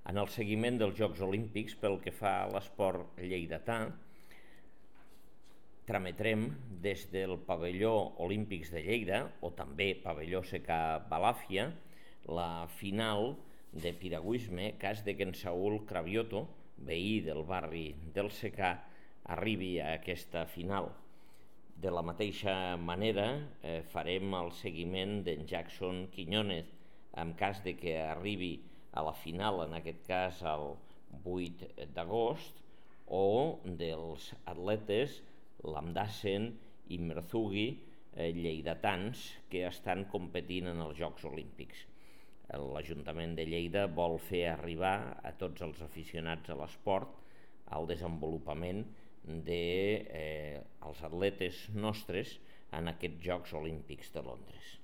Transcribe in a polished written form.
En el seguiment dels Jocs Olímpics, pel que fa a l'esport lleidatà, trametrem des del pavelló Olímpics de Lleida, o també pavelló Secà Balàfia, la final de piragüisme, cas de que en Saúl Cravioto, veí del barri del Secà, arribi a aquesta final. De la mateixa manera farem el seguiment d'en Jackson Quiñónez, en cas de que arribi a la final, en aquest cas el 8 d'agost, o dels atletes Lamdassen i Merzugi, lleidatans, que estan competint en els Jocs Olímpics. L'Ajuntament de Lleida vol fer arribar a tots els aficionats a l'esport al desenvolupament dels atletes nostres en aquests Jocs Olímpics de Londres.